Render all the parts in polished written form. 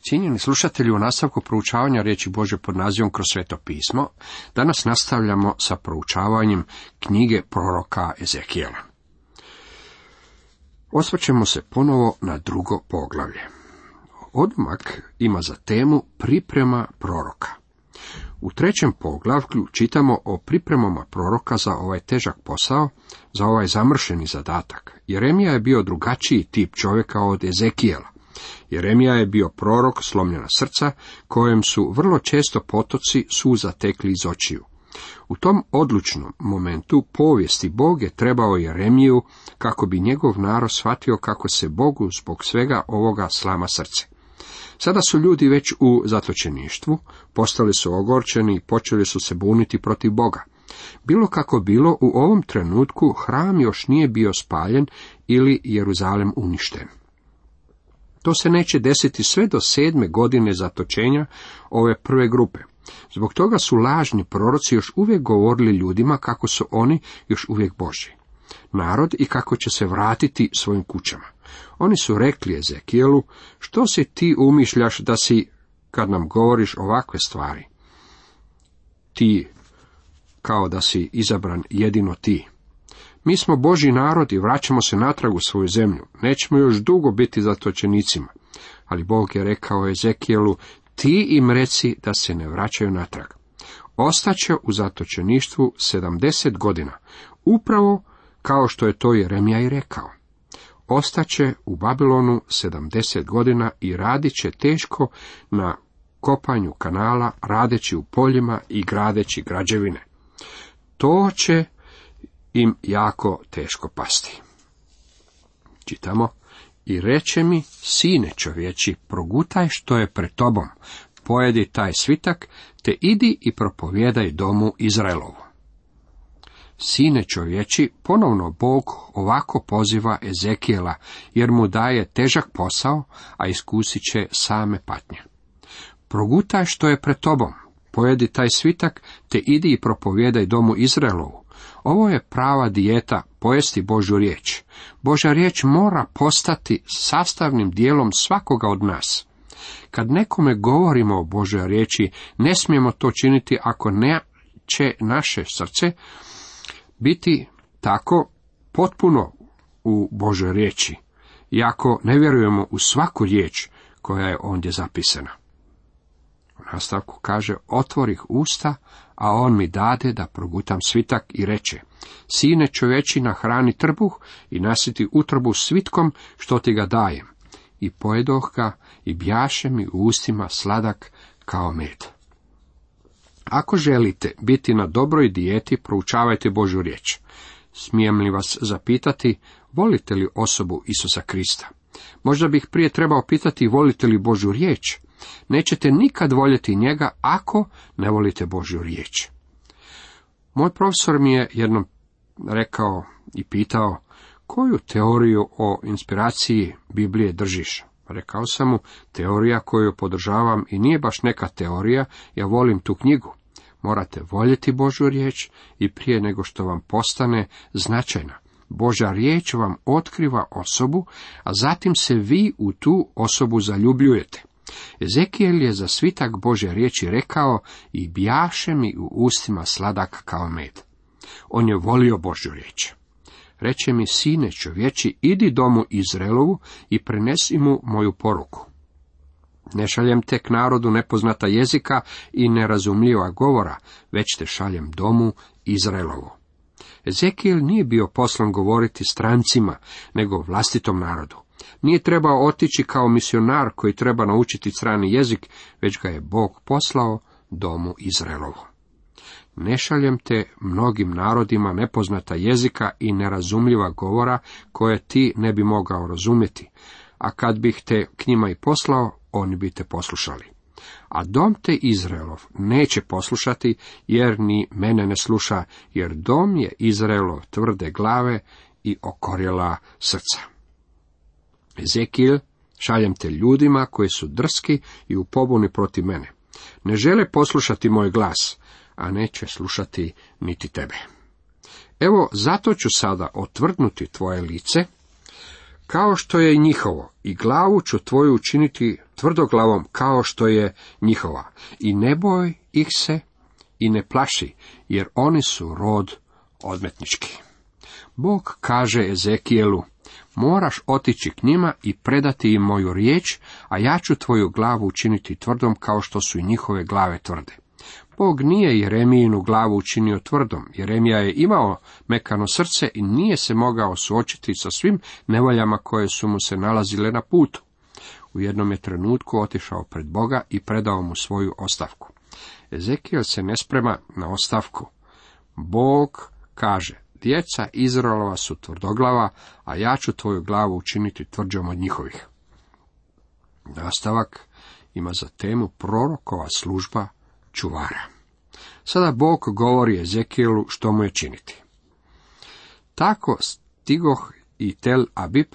Cijenjeni slušatelji, u nastavku proučavanja riječi Božje pod nazivom Kroz Sveto pismo, danas nastavljamo sa proučavanjem knjige proroka Ezekijela. Osvrćemo se ponovo na drugo poglavlje. Odmak ima za temu priprema proroka. U trećem poglavlju čitamo o pripremama proroka za ovaj težak posao, za ovaj zamršeni zadatak. Jeremija je bio drugačiji tip čovjeka od Ezekijela. Jeremija je bio prorok slomljena srca, kojem su vrlo često potoci suza tekli iz očiju. U tom odlučnom momentu povijesti Bog je trebao Jeremiju kako bi njegov narod shvatio kako se Bogu zbog svega ovoga slama srce. Sada su ljudi već u zatočeništvu, postali su ogorčeni i počeli su se buniti protiv Boga. Bilo kako bilo, u ovom trenutku hram još nije bio spaljen ili Jeruzalem uništen. To se neće desiti sve do 7. godine zatočenja ove prve grupe. Zbog toga su lažni proroci još uvijek govorili ljudima kako su oni još uvijek Božji narod i kako će se vratiti svojim kućama. Oni su rekli Ezekijelu: što si ti umišljaš da si, kad nam govoriš ovakve stvari? Ti, kao da si izabran jedino ti. Mi smo Božji narod i vraćamo se natrag u svoju zemlju. Nećemo još dugo biti zatočenicima. Ali Bog je rekao Ezekijelu: ti im reci da se ne vraćaju natrag. Ostaće u zatočeništvu 70 godina, upravo kao što je to Jeremija i rekao. Ostaće u Babilonu 70 godina i radit će teško na kopanju kanala, radeći u poljima i gradeći građevine. To će im jako teško pasti. Čitamo: i reče mi, sine čovječi, progutaj što je pred tobom, pojedi taj svitak, te idi i propovijedaj domu Izraelovu. Sine čovječi, ponovno Bog ovako poziva Ezekijela, jer mu daje težak posao, a iskusit će same patnje. Progutaj što je pred tobom, pojedi taj svitak, te idi i propovijedaj domu Izraelovu. Ovo je prava dijeta, pojesti Božju riječ. Božja riječ mora postati sastavnim dijelom svakoga od nas. Kad nekome govorimo o Božjoj riječi, ne smijemo to činiti ako neće naše srce biti tako potpuno u Božjoj riječi, i ako ne vjerujemo u svaku riječ koja je ondje zapisana. U nastavku kaže: otvorih usta, a on mi dade da progutam svitak i reče: sine čovječi, nahrani trbuh i nasiti utrobu svitkom što ti ga dajem. I pojedoh ga i bjaše mi u ustima sladak kao med. Ako želite biti na dobroj dijeti, proučavajte Božju riječ. Smijem li vas zapitati, volite li osobu Isusa Krista? Možda bih prije trebao pitati, volite li Božju riječ? Nećete nikad voljeti njega ako ne volite Božju riječ. Moj profesor mi je jednom rekao i pitao: koju teoriju o inspiraciji Biblije držiš? Rekao sam mu: teorija koju podržavam i nije baš neka teorija, ja volim tu knjigu. Morate voljeti Božju riječ i prije nego što vam postane značajna. Božja riječ vam otkriva osobu, a zatim se vi u tu osobu zaljubljujete. Ezekijel je za svitak Božje riječi rekao: i bjaše mi u ustima sladak kao med. On je volio Božju riječ. Reče mi: sine čovječi, idi domu Izraelovu i prenesi mu moju poruku. Ne šaljem te k narodu nepoznata jezika i nerazumljiva govora, već te šaljem domu Izraelovu. Ezekijel nije bio poslan govoriti strancima, nego vlastitom narodu. Nije trebao otići kao misionar koji treba naučiti strani jezik, već ga je Bog poslao domu Izraelovu. Ne šaljem te mnogim narodima nepoznata jezika i nerazumljiva govora koje ti ne bi mogao razumjeti, a kad bih te k njima i poslao, oni bi te poslušali. A dom te Izraelov neće poslušati, jer ni mene ne sluša, jer dom je Izraelov tvrde glave i okorjela srca. Ezekijel, šaljem te ljudima koji su drski i u pobuni protiv mene. Ne žele poslušati moj glas, a neće slušati niti tebe. Evo, zato ću sada otvrdnuti tvoje lice, kao što je njihovo, i glavu ću tvoju učiniti tvrdoglavom kao što je njihova. I ne boj ih se i ne plaši, jer oni su rod odmetnički. Bog kaže Ezekijelu, moraš otići k njima i predati im moju riječ, a ja ću tvoju glavu učiniti tvrdom kao što su i njihove glave tvrde. Bog nije Jeremijinu glavu učinio tvrdom. Jeremija je imao mekano srce i nije se mogao suočiti sa svim nevoljama koje su mu se nalazile na putu. U jednom je trenutku otišao pred Boga i predao mu svoju ostavku. Ezekijel se ne sprema na ostavku. Bog kaže, djeca Izraelova su tvrdoglava, a ja ću tvoju glavu učiniti tvrđom od njihovih. Nastavak ima za temu prorokova služba čuvara. Sada Bog govori Ezekijelu što mu je činiti. Tako stigoh i Tel Abib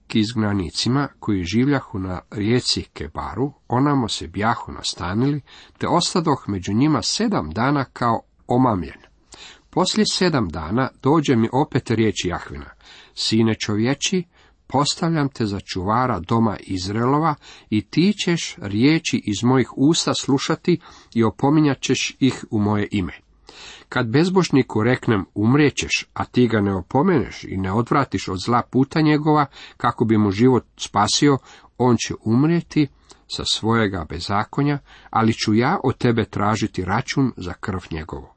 k izgnanicima koji življahu na rijeci Kebaru, onamo se bjahu nastanili, te ostadoh među njima 7 dana kao omamljen. Poslije 7 dana dođe mi opet riječ Jahvina, sine čovječi, postavljam te za čuvara doma Izraelova i ti ćeš riječi iz mojih usta slušati i opominjat ćeš ih u moje ime. Kad bezbožniku reknem umrijećeš, a ti ga ne opomeneš i ne odvratiš od zla puta njegova, kako bi mu život spasio, on će umrijeti sa svojega bezakonja, ali ću ja od tebe tražiti račun za krv njegovu.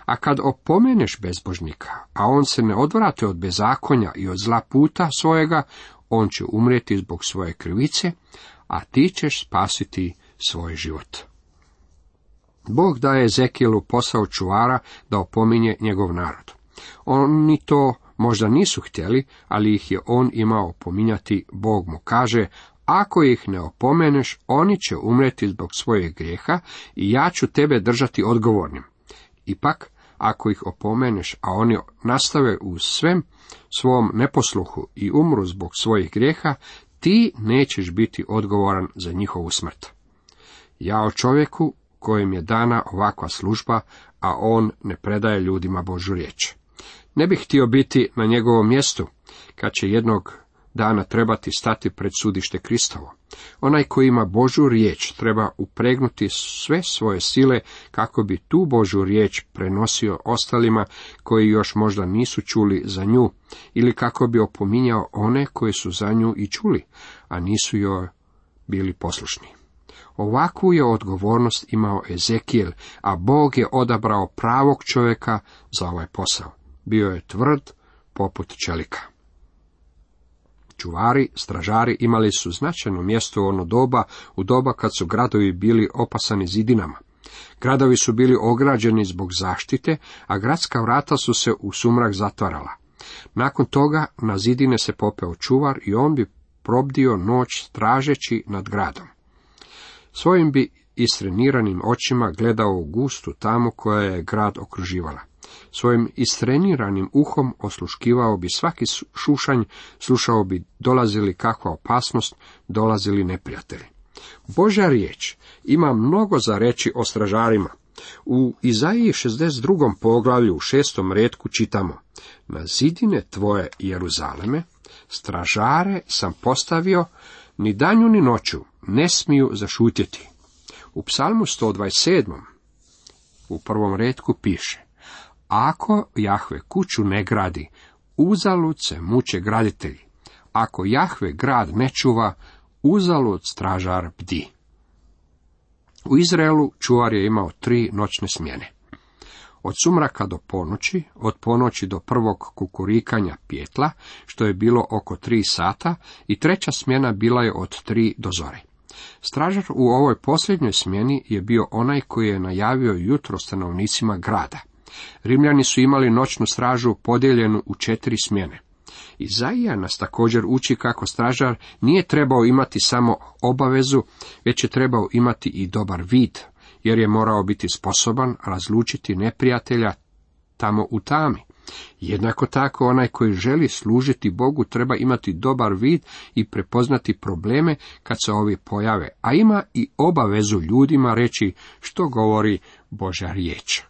A kad opomeneš bezbožnika, a on se ne odvrati od bezakonja i od zla puta svojega, on će umrijeti zbog svoje krivice, a ti ćeš spasiti svoj život. Bog daje Ezekijelu posao čuvara da opominje njegov narod. Oni to možda nisu htjeli, ali ih je on imao opominjati. Bog mu kaže, ako ih ne opomeneš, oni će umrijeti zbog svojeg grijeha i ja ću tebe držati odgovornim. Ipak, ako ih opomeneš, a oni nastave u svem svom neposluhu i umru zbog svojih grijeha, ti nećeš biti odgovoran za njihovu smrt. Ja o čovjeku kojem je dana ovakva služba, a on ne predaje ljudima Božju riječ. Ne bih htio biti na njegovom mjestu, kad će jednog dana trebati stati pred sudište Kristovo. Onaj koji ima Božju riječ treba upregnuti sve svoje sile kako bi tu Božju riječ prenosio ostalima koji još možda nisu čuli za nju, ili kako bi opominjao one koji su za nju i čuli, a nisu joj bili poslušni. Ovakvu je odgovornost imao Ezekijel, a Bog je odabrao pravog čovjeka za ovaj posao. Bio je tvrd poput čelika. Čuvari, stražari imali su značajno mjesto u ono doba, u doba kad su gradovi bili opasani zidinama. Gradovi su bili ograđeni zbog zaštite, a gradska vrata su se u sumrak zatvarala. Nakon toga na zidine se popeo čuvar i on bi probdio noć stražeći nad gradom. Svojim bi istreniranim očima gledao u gustu tamu koja je grad okruživala. Svojim istreniranim uhom osluškivao bi svaki šušanj, slušao bi dolazili kakva opasnost, dolazili neprijatelji. Božja riječ ima mnogo za reći o stražarima. U Izaiji 62. poglavlju u 6. retku čitamo: na zidine tvoje Jeruzaleme stražare sam postavio, ni danju ni noću ne smiju zašutjeti. U psalmu 127. u 1. retku piše: ako Jahve kuću ne gradi, uzalud se muče graditelji. Ako Jahve grad ne čuva, uzalud stražar bdi. U Izraelu čuvar je imao 3 noćne smjene. Od sumraka do ponoći, od ponoći do prvog kukurikanja pjetla, što je bilo oko 3 sata, i treća smjena bila je od 3 do zore. Stražar u ovoj posljednjoj smjeni je bio onaj koji je najavio jutro stanovnicima grada. Rimljani su imali noćnu stražu podijeljenu u 4 smjene. Izaija nas također uči kako stražar nije trebao imati samo obavezu, već je trebao imati i dobar vid, jer je morao biti sposoban razlučiti neprijatelja tamo u tami. Jednako tako onaj koji želi služiti Bogu treba imati dobar vid i prepoznati probleme kad se ovi pojave, a ima i obavezu ljudima reći što govori Božja riječ.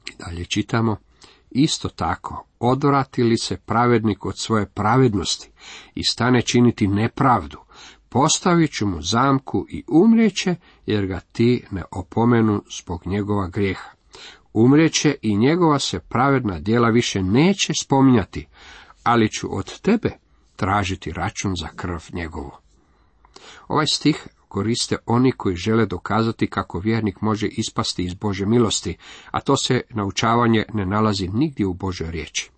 I dalje čitamo: Isto tako, odvrati li se pravednik od svoje pravednosti i stane činiti nepravdu, postavit ću mu zamku i umrijeće, jer ga ti ne opomenu zbog njegova grijeha. Umrijeće i njegova se pravedna djela više neće spominjati, ali ću od tebe tražiti račun za krv njegovu. Ovaj stih koriste oni koji žele dokazati kako vjernik može ispasti iz Božje milosti, a to se naučavanje ne nalazi nigdje u Božoj riječi.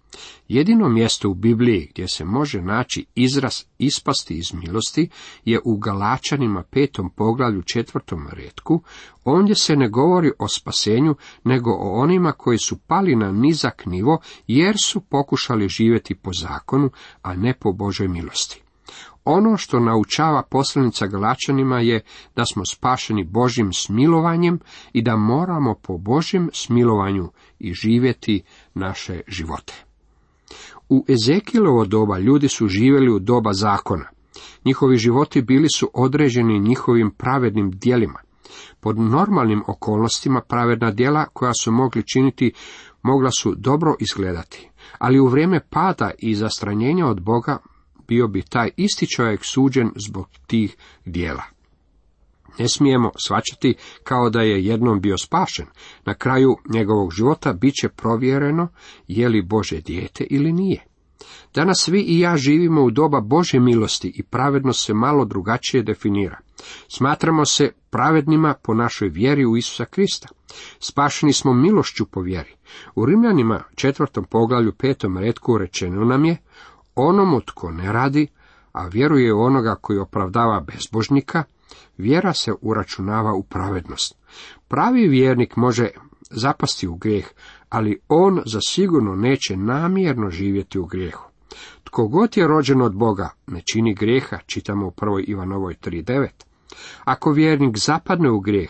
Jedino mjesto u Bibliji gdje se može naći izraz ispasti iz milosti je u Galačanima 5. poglavlju 4. retku, ondje se ne govori o spasenju, nego o onima koji su pali na nizak nivo, jer su pokušali živjeti po zakonu, a ne po Božoj milosti. Ono što naučava poslanica Galačanima je da smo spašeni Božjim smilovanjem i da moramo po Božjem smilovanju i živjeti naše živote. U Ezekielovo doba ljudi su živjeli u doba zakona. Njihovi životi bili su određeni njihovim pravednim djelima. Pod normalnim okolnostima pravedna djela koja su mogli činiti mogla su dobro izgledati, ali u vrijeme pada i zastranjenja od Boga bio bi taj isti čovjek suđen zbog tih djela. Ne smijemo shvaćati kao da je jednom bio spašen. Na kraju njegovog života bit će provjereno je li Božje dijete ili nije. Danas vi i ja živimo u doba Božje milosti i pravednost se malo drugačije definira. Smatramo se pravednima po našoj vjeri u Isusa Krista. Spašeni smo milošću po vjeri. U Rimljanima 4. poglavlju 5. retku rečeno nam je: onomu tko ne radi, a vjeruje u onoga koji opravdava bezbožnika, vjera se uračunava u pravednost. Pravi vjernik može zapasti u grijeh, ali on zasigurno neće namjerno živjeti u grijehu. Tko god je rođen od Boga ne čini grijeha, čitamo u 1. Ivanovoj 3:9. Ako vjernik zapadne u grijeh,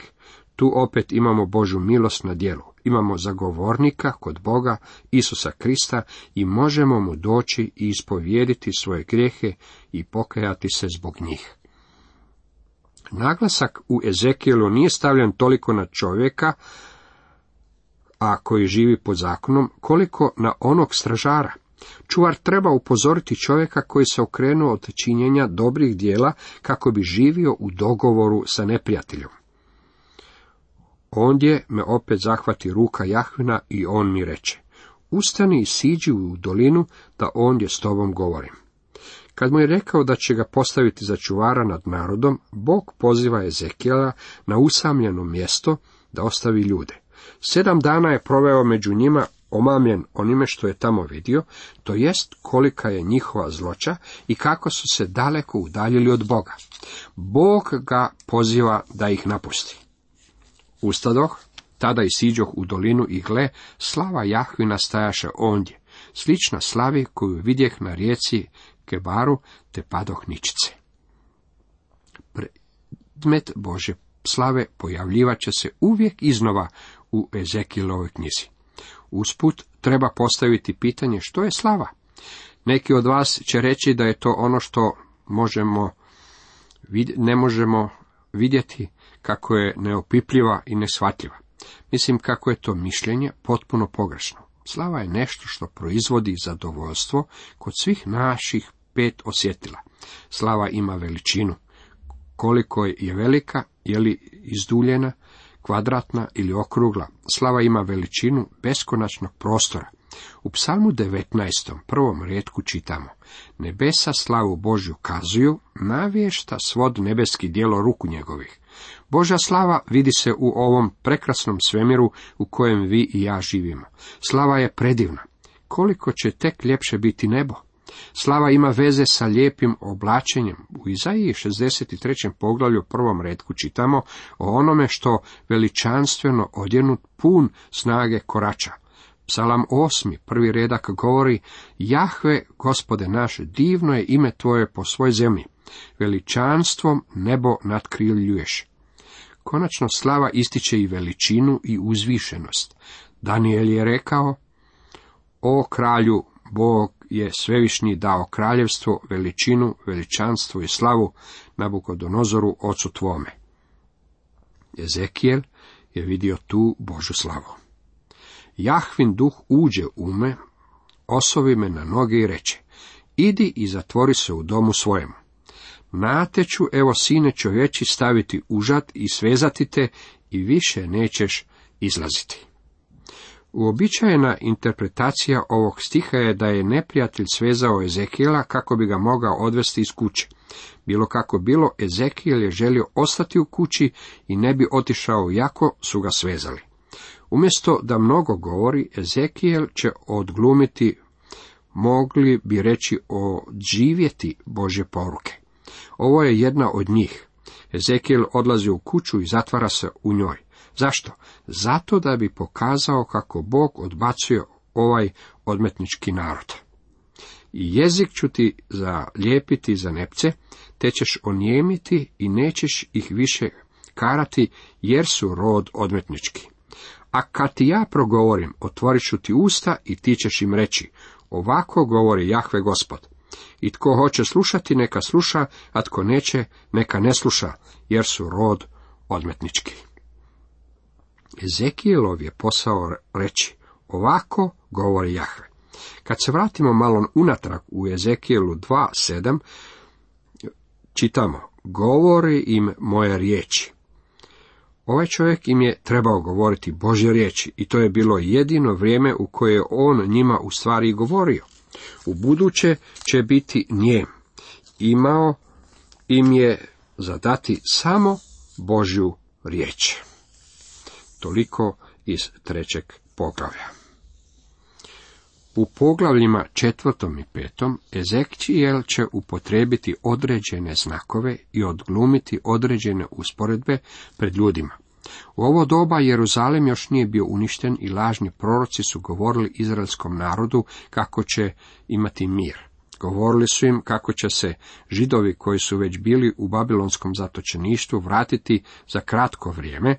tu opet imamo Božju milost na djelu. Imamo zagovornika kod Boga, Isusa Krista, i možemo mu doći i ispovijediti svoje grijehe i pokajati se zbog njih. Naglasak u Ezekijelu nije stavljen toliko na čovjeka, a koji živi pod zakonom, koliko na onog stražara. Čuvar treba upozoriti čovjeka koji se okrenuo od činjenja dobrih djela kako bi živio u dogovoru sa neprijateljom. Ondje me opet zahvati ruka Jahvina i on mi reče: ustani i siđi u dolinu, da ondje s tobom govorim. Kad mu je rekao da će ga postaviti za čuvara nad narodom, Bog poziva Ezekijela na usamljeno mjesto da ostavi ljude. 7 dana je proveo među njima, omamljen onime što je tamo vidio, to jest kolika je njihova zloća i kako su se daleko udaljili od Boga. Bog ga poziva da ih napusti. Ustadoh, tada i siđoh u dolinu i gle, slava Jahvina stajaše ondje, slična slavi koju vidjeh na rijeci Kebaru, te padoh ničice. Predmet Božje slave pojavljivat će se uvijek iznova u Ezekielovoj knjizi. Usput treba postaviti pitanje što je slava. Neki od vas će reći da je to ono što ne možemo vidjeti, kako je neopipljiva i neshvatljiva. Mislim kako je to mišljenje potpuno pogrešno. Slava je nešto što proizvodi zadovoljstvo kod svih naših 5 osjetila. Slava ima veličinu. Koliko je velika, je li izduljena, kvadratna ili okrugla, slava ima veličinu beskonačnog prostora. U Psalmu 19. prvom retku čitamo: nebesa slavu Božju kazuju, navješta svod nebeski djelo ruku njegovih. Božja slava vidi se u ovom prekrasnom svemiru u kojem vi i ja živimo. Slava je predivna. Koliko će tek ljepše biti nebo. Slava ima veze sa lijepim oblačenjem. U Izaiji 63. poglavlju 1. retku čitamo o onome što veličanstveno odjenut pun snage korača. Psalam 8. 1. redak govori: Jahve, Gospode naš, divno je ime tvoje po svoj zemlji, veličanstvom nebo nadkriljuješ. Konačno slava ističe i veličinu i uzvišenost. Daniel je rekao: o kralju, Bog je svevišnji dao kraljevstvo, veličinu, veličanstvo i slavu Nabukodonozoru, ocu tvome. Ezekijel je vidio tu Božju slavu. Jahvin duh uđe u me, osovi me na noge i reče, idi i zatvori se u domu svojemu. Na te ću, evo sine čovječi, staviti užad i svezati te i više nećeš izlaziti. Uobičajena interpretacija ovog stiha je da je neprijatelj svezao Ezekijela kako bi ga mogao odvesti iz kuće. Bilo kako bilo, Ezekijel je želio ostati u kući i ne bi otišao jako su ga svezali. Umjesto da mnogo govori, Ezekijel će odglumiti, mogli bi reći odživjeti Božje poruke. Ovo je jedna od njih. Ezekijel odlazi u kuću i zatvara se u njoj. Zašto? Zato da bi pokazao kako Bog odbacuje ovaj odmetnički narod. I jezik ću ti zalijepiti za nepce, te ćeš onijemiti i nećeš ih više karati, jer su rod odmetnički. A kad ti ja progovorim, otvorit ću ti usta i ti ćeš im reći, ovako govori Jahve Gospod. I tko hoće slušati, neka sluša, a tko neće, neka ne sluša, jer su rod odmetnički. Ezekijelov je posao reći, ovako govori Jahve. Kad se vratimo malo unatrag u Ezekijelu 2:7, čitamo, govori im moje riječi. Ovaj čovjek im je trebao govoriti Božje riječi i to je bilo jedino vrijeme u koje je on njima u stvari govorio. U buduće će biti nijem. Imao im je zadati samo Božju riječ. Toliko iz 3. poglavlja. U poglavljima 4. i 5. Ezekijel će upotrijebiti određene znakove i odglumiti određene usporedbe pred ljudima. U ovo doba Jeruzalem još nije bio uništen i lažni proroci su govorili izraelskom narodu kako će imati mir. Govorili su im kako će se Židovi koji su već bili u babilonskom zatočeništvu vratiti za kratko vrijeme,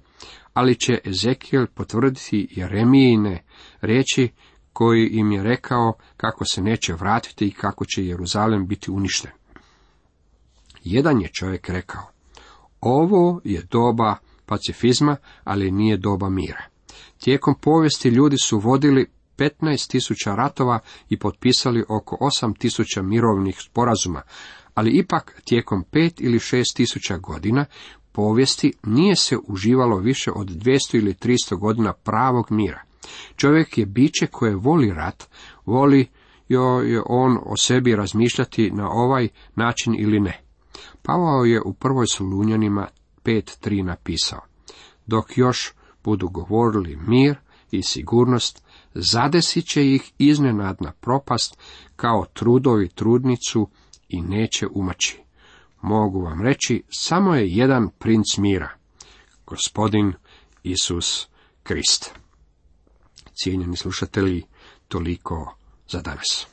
ali će Ezekijel potvrditi Jeremijine riječi koji im je rekao kako se neće vratiti i kako će Jeruzalem biti uništen. Jedan je čovjek rekao, ovo je doba pacifizma, ali nije doba mira. Tijekom povijesti ljudi su vodili 15.000 ratova i potpisali oko 8.000 mirovnih sporazuma, ali ipak tijekom 5 ili 6.000 godina povijesti nije se uživalo više od 200 ili 300 godina pravog mira. Čovjek je biće koje voli rat, voli je on o sebi razmišljati na ovaj način ili ne. Pavao je u 1. Solunjanima 5:3 napisao, dok još budu govorili mir i sigurnost, zadesit će ih iznenadna propast kao trudovi trudnicu i neće umaći. Mogu vam reći, samo je jedan princ mira, Gospodin Isus Krist. Cijenjeni slušatelji, toliko za danas.